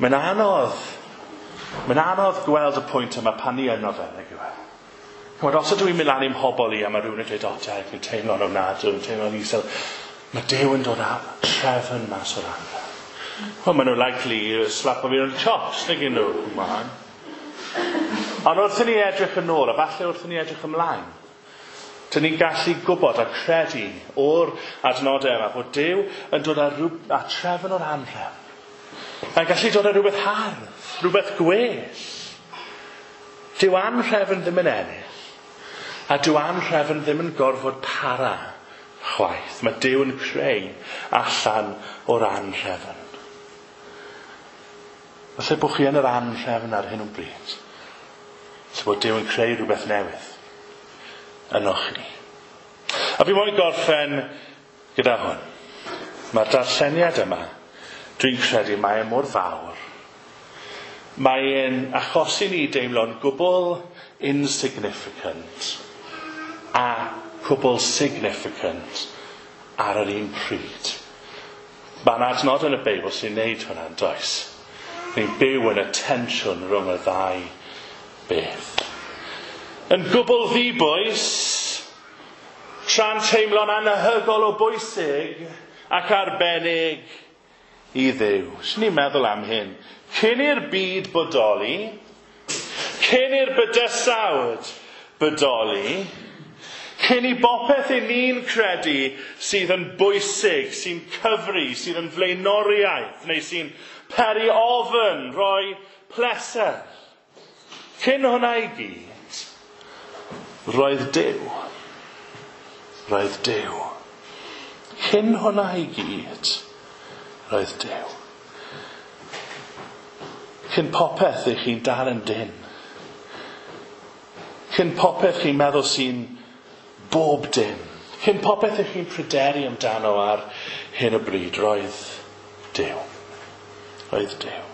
Mae'n anodd gweld y pwynt yma pan ni yno fe, nag yw e? Ch'mod, os ydw i'n mynd lan i'm mhobol i a mae rhywun yn dweud, o, Derek, dwi'n teimlo'n ofnadwy, dwi'n teimlo'n isel. Mae Duw yn dod â trefn mas o'r anhrefn. Wel, maen nhw'n likely i slapo fi yn y chops, nag y'n nhw, man. Ond wrth i ni edrych yn ôl, a falle wrth i ni edrych ymlaen, dyn ni'n gallu gwybod a credu o'r adnodau yma bod Duw yn dod â trefn o'r anhrefn. Mae'n gallu dod â rhywbeth hardd, rhywbeth gwell. Dyw anhrefn ddim yn ennill, a dyw anhrefn ddim yn gorfod para chwaith. Mae Duw yn creu allan o'r anhrefn. Falle bod chi yn yr anhrefn ar hyn o bryd. Falle bod Duw yn creu rhywbeth newydd ynoch chi. A fi moyn gorffen gyda hwn. Mae'r darlleniad yma, dwi'n credu mae e mor fawr. Mae e'n achosi ni deimlo'n gwbl insignificant a cwbl significant ar yr un pryd. Mae'n adnod yn y Beibl sy'n neud hwnna, does? Ni'n byw yn y tensiwn rhwng y ddau beth. Yn gwbl ddibwys, tra'n teimlo'n anhygol o bwysig ac arbennig i Dduw. Swn ni'n meddwl am hyn. Cyn i'r byd bodoli, cyn i'r bydysawd bodoli, cyn i bopeth i ni'n credu sydd yn bwysig, sy'n cyfri, sydd yn flaenoriaeth, neu sy'n peri ofn, rhoi pleser. Cyn hwnna i gyd, roedd Duw. Roedd Duw. Cyn hwnna i gyd, roedd Duw. Cyn popeth ych chi'n dal yn dyn. Cyn popeth chi'n meddwl sy'n bob dim. Cyn popeth ych chi'n pryderu amdano ar hyn o bryd, roedd Duw. Roedd Duw.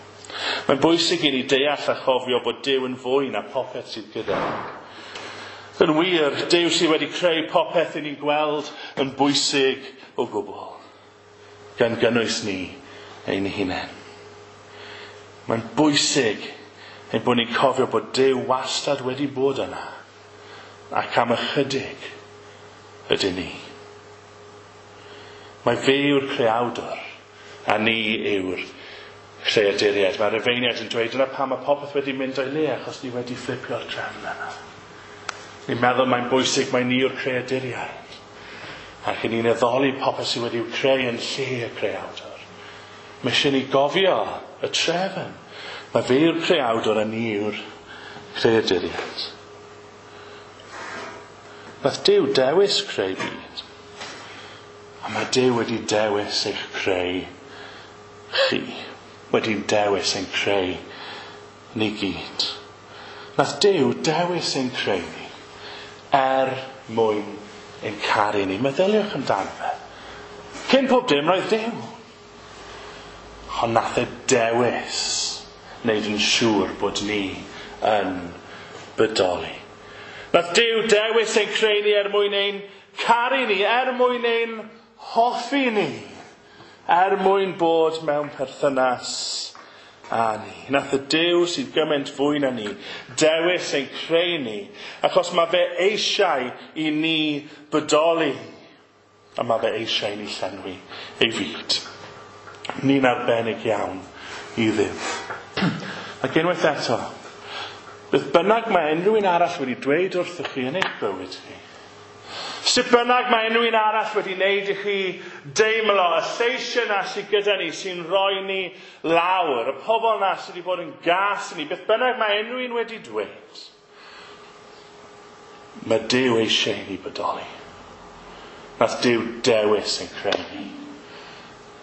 Mae'n bwysig i ni deall a chofio bod Duw yn fwy na popeth sydd gyda ni. Yn wir, Duw sydd wedi creu popeth i ni'n gweld yn bwysig o gwbl, gan gynnwys ni ein hunain. Mae'n bwysig ein bod ni'n cofio bod Duw wastad wedi bod yna, ac am ychydig ydyn ni. Mae fe yw'r creawdwr, a ni yw'r creaduriaid. Mae'r Rufeiniaid yn dweud dyna pam mae popeth wedi mynd o'i le, achos ni wedi fflipio'r trefn yna. Ni'n meddwl mae'n bwysig mae ni yw'r creaduriaid. Ac ni'n addoli popeth sydd wedi'w creu yn lle y creawdwr. Mae eisiau ni gofio y trefn. Mae fe yw'r creawdwr a ni yw'r creaduriaid. Nath Duw dewis creu byd. A mae Duw wedi dewis eich creu chi. Wedi dewis ein creu ni gyd. Nath Duw dewis ein creu ni er mwyn ein caru ni. Meddyliwch amdano fe. Cyn pob dim roedd Duw. Ond nath e dewis wneud yn siŵr bod ni yn bodoli. Nath Duw dewis ein creu ni er mwyn ein caru ni, er mwyn ein hoffi ni, er mwyn bod mewn perthynas â ni. Nath y Duw sydd gymaint fwy na ni dewis ein creu ni, achos mae fe eisiau i ni bodoli, a mae fe eisiau i ni llenwi ei fyd. Ni'n arbennig iawn i Dduw. Ac unwaith eto, beth bynnag mae unrhyw un arall wedi dweud wrthych chi yn eich bywyd chi, sut bynnag mae unrhyw un arall wedi wneud i chi deimlo y lleisiau yna sydd gyda ni, sy'n rhoi ni lawr, y pobl yna sydd wedi bod yn gas i ni, beth bynnag mae unrhyw un wedi dweud, mae Duw eisiau i ni bodoli. Nath Duw dewis ein creu ni.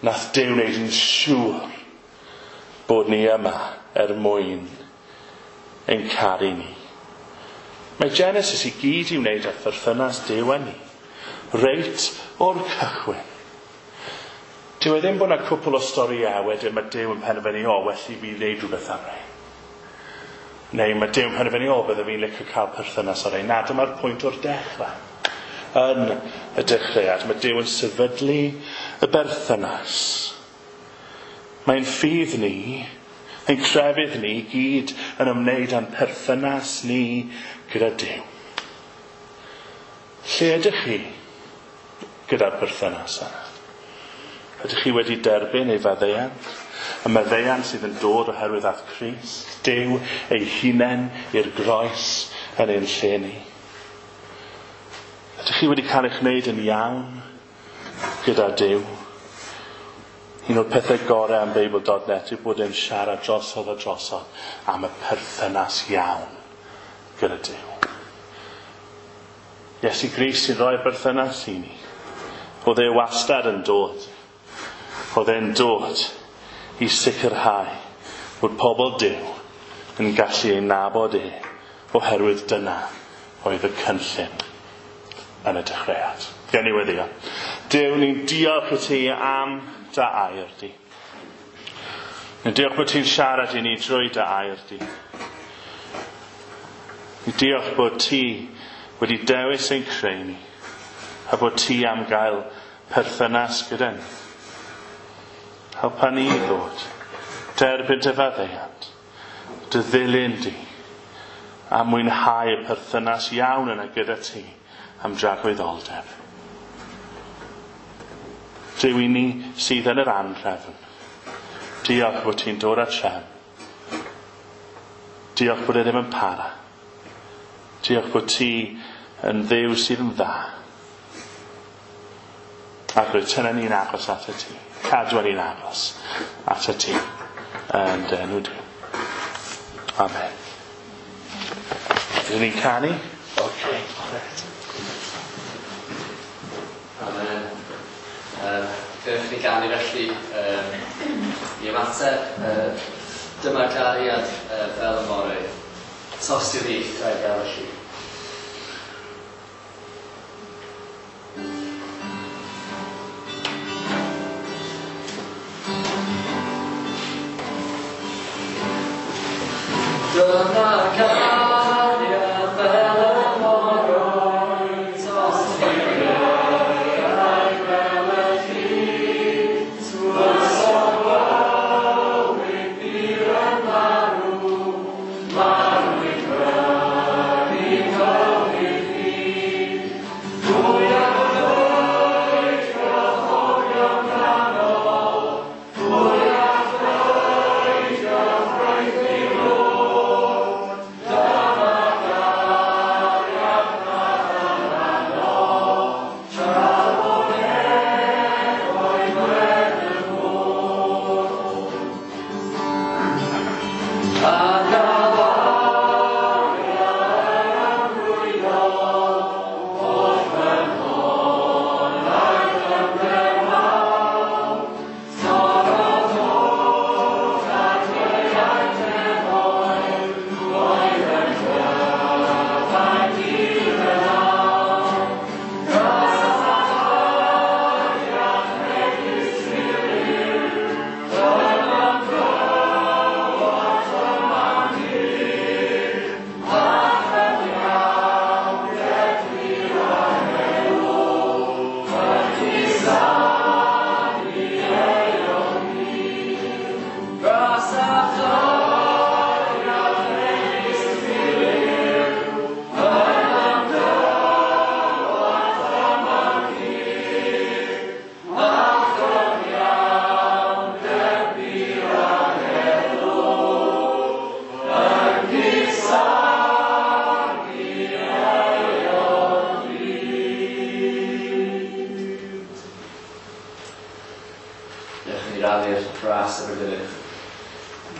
Nath Duw wneud yn siŵr bod ni yma er mwyn ein caru ni. Mae Genesis i gyd i wneud â pherthynas Duw â ni, reit o'r cychwyn. Dyw e ddim bod yna cwpl o storïau wedyn mae Duw yn penderfynu, o, well i fi wneud rhywbeth am rei. Neu mae Duw yn penderfynu, o, bydde fi'n licio cael perthynas â rei. Na, dyma'r pwynt o'r dechrau. Yn y dechreuad, mae Duw yn sefydlu y berthynas. Mae'n ffydd ni, ein crefydd ni gyd yn ymwneud â'n perthynas ni gyda Duw. Lle ydych chi gyda'r perthynas yna? Ydych chi wedi derbyn ei faddeuant? Y maddeuant sydd yn dod oherwydd at Crist, Duw ei hunain i'r groes yn ein lle ni. Ydych chi wedi cael eich wneud yn iawn gyda Duw? Un o'r pethau gorau am Beibl.net yw bod e'n siarad drosodd a drosodd am y perthynas iawn gyda Duw. Iesu Grist sy'n rhoi'r berthynas i ni. Oedd e wastad yn dod. Oedd e'n dod i sicrhau bod pobl Duw yn gallu ei nabod e, oherwydd dyna oedd y cynllun yn y dechreuad. Gen i weddio. Duw, ni'n diolch i ti am dy air di. Ni'n diolch bod ti'n siarad i ni drwy dy air di. Ni'n diolch bod ti wedi dewis ein creu ni a bod ti am gael perthynas gyda ni. Helpa ni i ddod, derbyn dy faddeuant, dy ddilyn di, a mwynhau y perthynas iawn yna gyda ti am dragwyddoldeb. Duw i ni sydd yn yr anhrefn. Diolch bod ti'n dod â trefn. Diolch bod e ddim yn para. Diolch bod ti yn Dduw sydd yn dda. Ac rwyt tynnu ni'n agos at y ti. Cadw ni'n agos at y ti. Yn dy enw di. Amen. Ydyn ni'n canu? Okay, right. Amen. Gewch ni ganu felly i ymateb. Dyma gariad fel y moroedd. Tost i'w ddydd, a'i gael y lli. Dyma gariad fel y moroedd, tost i'w ddydd, a'i gael y lli. Tywysog bywyd byr yn marw, marw i brynu bywyd fi. Pwy a ddweud gyhoeddion canol, pwy a ddweud gyfraith i lwch, dyma gariad nath tra bo nefoedd wen y môr. A galariad amrwydol, holl ffynhonnau dyfnder mawr, torodd holl adeiau nefoedd, oedd yn cryfhau dydd yn awr. Gras a chariad megis miliwn, dyma'n dywod yma'n hir, a chyfiawnder gwir a heddwch, yn cusanu eon hir. Gras a chariad megis miliwn, dyma'n dywod yma'n hir, a chyfiawnder gwir a heddwch, yn cusanu eon hir. Dewch i ni rannu'r gras efo'r gilydd.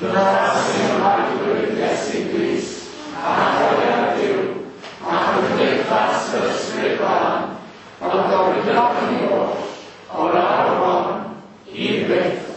Gras i'n Arglwydd Iesu Grist, a chariad Duw, a chymdeithas yr Ysbryd Glân, ond o'r gyda ni oll, o'r awr hon, i byth